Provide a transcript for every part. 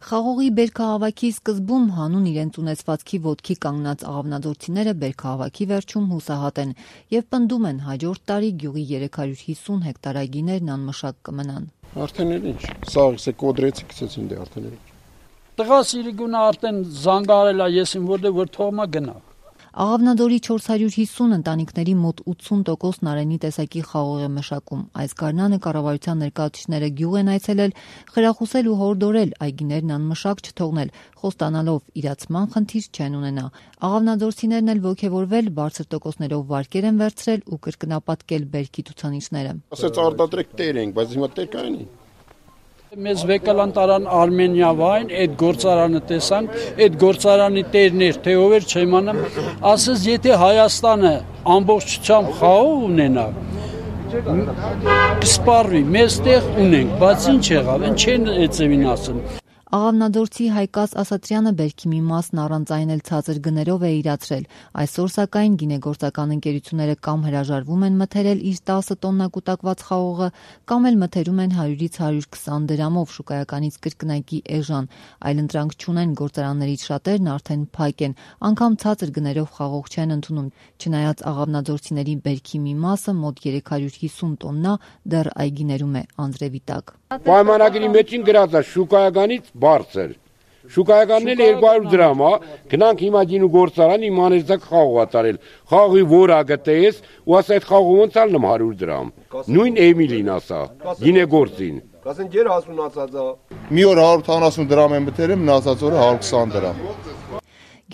Խաղողի բերքահավաքի սկզբում հանուն իրենց ունեցվածքի ոտքի կանգնած աղավնաձորցիները բերքահավաքի վերջում հուսահատ են եւ պնդում են հաջորդ տարի գյուղի 350 հեկտար այգիներն անմշակ կմնան։ Արդեն ինչ, սաղ կոդրեցի գցեցին դե արդեն ինչ։ Տղա Սիրիգունը արդեն զանգարել է եսին որ թողնա գնա։ Աղավնաձորի 450 ընտանիքների մոտ 80%-ն Արենի տեսակի խաղող է մշակում։ Այս գարնանը կառավարության ներկայացուցիչները գյուղ են այցելել, խրախուսել ու հորդորել այգիներն անմշակ չթողնել, խոստանալով իրացման խնդիր չեն ունենա։ Աղավնաձորցիներն էլ ոգևորվել, բարձր տոկոսներով վարկեր են վերցրել ու կրկնապատկել բերքի ցուցանիշները։ Ասեց արտադրեք տեր ենք, բայց հիմա տեր կայանի։ Մեզ վեկալան տարան Արմենիա վայն, այդ գործարանը տեսանք, այդ գործարանի տերներ, թե ով էր չիմանամ, ասես եթե Հայաստանը ամբողջությամբ խաղող ունենա, կսպառվի, մեզ տեղ ունենք, բայց ինչ եղավ, են չեն էծևին ասեն։ Աղավնաձորցի Հայկաս Ասատրյանը բերքի մի մասն առանց այն էլ ցածր գներով է իրացրել։ Այսօր սակայն գինեգործական ընկերությունները կամ հրաժարվում են մթերել իր 10 տոննա կուտակված խաղողը, կամ էլ մթերում են 100-ից 120 դրամով շուկայականից կրկնակի էժան, այլ ընտրանք չունեն գործարաններից շատերն արդեն փակ են, անգամ ցածր գներով խաղող չեն ընդունում, չնայած աղավնաձորցիների բերքի մի մասը մոտ 350 տոննա դեռ այգիներում է անձրևի տակ։ Պայմանագրի մեջին գրած է շուկայականից բարձր։ Շուկայականն էլ 200 դրամ է, գնանք հիմա գինու գործարան իմանեցակ խաղողա տարել։ Խաղողի որ ագտես, ու ասա այդ խաղողը ոնց ալնեմ 100 դրամ։ Նույն Էմիլին ասա, գինեգործին։ Կասեն ջեր հասունացած է։ Մի օր 170 դրամ եմ մտերեմ, մնացած օրը 120 դրամ։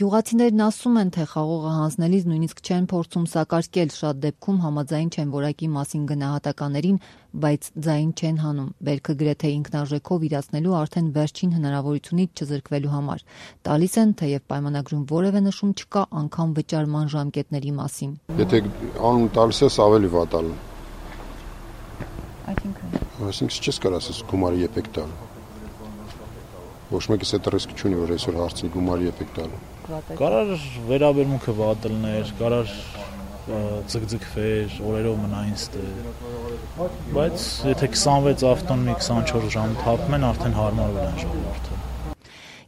Գյուղացիներն ասում են, թե խաղողը հանձնելիս նույնիսկ չեն փորձում սակարկել, շատ դեպքում համաձայն չեն որակի մասին գնահատականներին, բայց ձայն չեն հանում, բերքը գրեթե ինքնարժեքով իրացնելու արդեն վերջին հնարավորությունից չզրկվելու համար։ Տալիս են, թեև պայմանագրում որևէ նշում չկա անգամ վճարման ժամկետների մասին։ Եթե անուն տալիս ես ավելի վատալ։ Այսինքն չես կարող ասես գումարի եփեք տալ։ Ոչ մեկս այդ ռիսկը չունի, որ այսօր հարցնի գումարի եփեք տալ։ Կարար վերաբերմունքը վատելներ, կարար ձգձգվեր, օրերով մնային ստեր, բայց եթե 26 ավտոն մի 24 ժամ թափում են, արդեն հարմարվել են ժողովուրդը։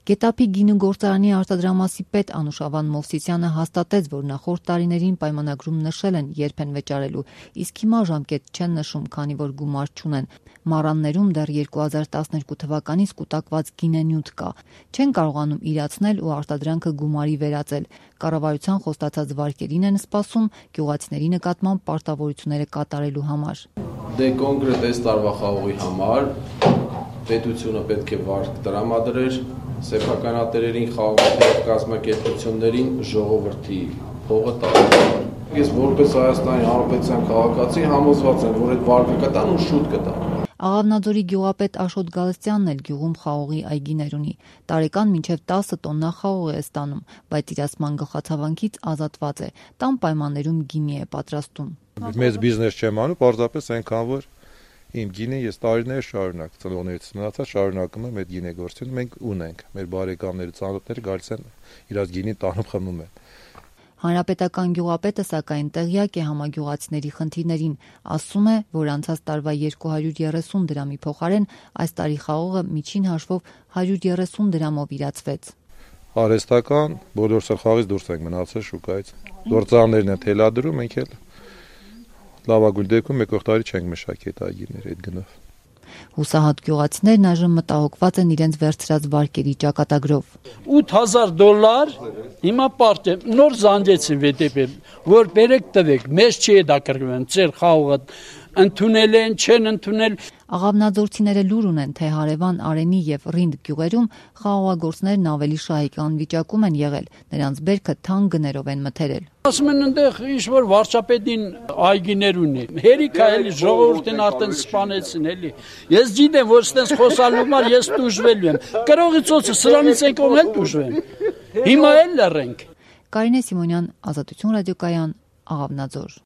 Գետափի գինու գործարանի արտադրամասի պետ Անուշավան Մովսիսյանը հաստատեց, որ նախորդ տարիներին պայմանագրում նշել են երբ են վճարելու, իսկ հիմա ժամկետ չեն նշում, քանի որ գումար չունեն։ Մառաններում դեռ 2012 թվականից կուտակված գինենյութ կա։ Չեն կարողանում իրացնել ու արտադրանքը գումարի վերածել։ Կառավարության խոստացած վարկերին են սպասում գյուղացիների նկատմամբ պարտավորությունները կատարելու համար։ Դե կոնկրետ այս տարվա խաղողի համար պետությունը պետք է վարկ տրամադրեր սեփականատերերին, խաղողի կազմակերպություններին, ժողովրդի փողը տալ։ Ես որպես Հայաստանի Հանրապետության քաղաքացի համոզված եմ, որ այդ վարկը կտան ու շուտ կտան։ Աղավնաձորի գյուղապետ Աշոտ Գալստյանն էլ գյուղում խաղողի այգիներ ունի։ Տարեկան մինչև 10 տոննա խաղող է ստանում, բայց իրացման գլխացավանքից ազատված է։ Տան պայմաններում գինի է պատրաստում։ Մեծ բիզնես չեմ անում, պարզապես այնքան որ իմ գինը ես տարիներ շարունակ ծնողներից մնացած շարունակում եմ այդ գինեգործությունը մենք ունենք։ Մեր բարեկամները, ծանոթները գալիս են իրաց գինին տանում խմում են։ Հանրապետական գյուղապետը սակայն տեղյակ է համագյուղացիների խնդիրներին, ասում է, որ անցած տարվա 230 դրամի փոխարեն այս տարի խաղողը միջին հաշվով 130 դրամով իրացվեց։ Արհեստական բոլոր սխաղից դուրս ենք մնացել շուկայից։ Գործարաններն են թելադրում, մենք էլ լավագույն դեպքում եկող տարի չենք մշակի այդ այգիները այդ գնով։ Հուսահատ գյուղացիներն այժմ մտահոգված են իրենց վերցրած վարկերի ճակատագրով։ $8,000 հիմա պարտ է, նոր զանգեցին VTP, որ բերեք տվեք, մեզ չի է դա կրկնվեն, ծեր խաղողը ընդունել են, չեն ընդունել։ Աղավնաձորցիները լուր ունեն, թե հարևան Արենի եւ Ռինդ գյուղերում խաղողագործներն ավելի շահեկան վիճակում են եղել, նրանց բերքը թանկ գներով են մթերել։ Ասում են այնտեղ ինչ-որ վարչապետին այգիներ ունի։ Հերիքա էլի ժողովուրդին արդեն սպանեցին էլի։ Ես գիտեմ, որ ստենց խոսալու համար ես դժվելու եմ։ Կրողի ծոցը սրանից են կողմ էլ դժվեմ։ Հիմա էլ լռենք։ Կարինե Սիմոնյան, Ազատություն ռադիոկայան, Աղավնաձոր։